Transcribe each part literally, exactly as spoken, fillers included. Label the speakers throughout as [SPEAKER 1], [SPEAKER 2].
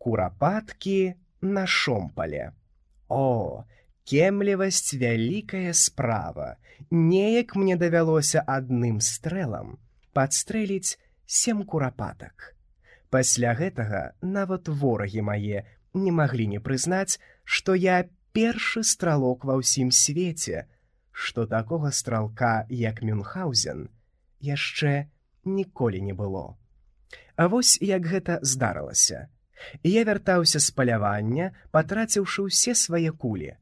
[SPEAKER 1] Курапаткі на шомпале. О, кемлівасць вялікая справа. Неяк мне давялося адным стрэлам падстрэліць сем курапатак. Пасля гэтага нават ворагі мае не маглі не прызнаць, што я першы стралок ва ўсім свеце, што такога стралка, як Мюнхгаузен, яшчэ ніколі не было. А вось як гэта здарылася. Я вяртаўся з палявання, патраціўшы ўсе свае кулі.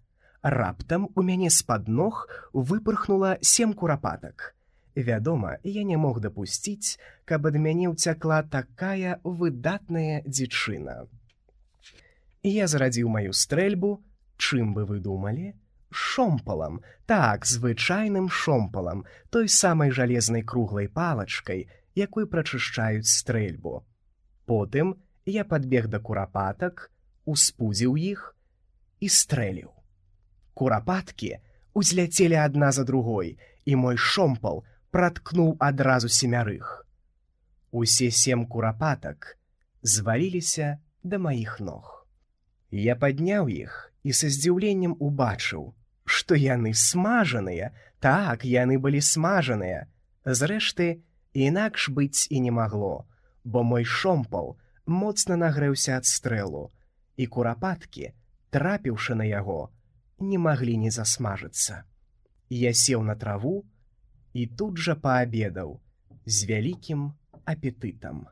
[SPEAKER 1] Раптам у мяне з-пад ног выпырхнула сем курапатак. Вядома, я не мог дапусціць, каб ад мяне ўцякла такая выдатная дзічына. Я зарадзіў маю стрэльбу, чым бы вы думалі? Шомпалам, так, звычайным шомпалам, той самай жалезнай круглай палачкай, якой прачышчаюць стрэльбу. Потым я падбег да курапатак, успудзіў іх і стрэліў. Курапаткі узляцелі адна за другой, і мой шомпал праткнуў адразу семярых. Усе сем курапатак зваліліся да маіх ног. Я падняў іх і са здзіўленнем убачыў, што яны смажаныя, так, яны былі смажаныя. Зрэшты, інакш быць і не магло, бо мой шомпал моцна нагрэўся ад стрэлу, і курапаткі, трапіўшы на яго, не маглі не засмажыцца. Я сеў на траву і тут жа паабедаў з вялікім апетытам.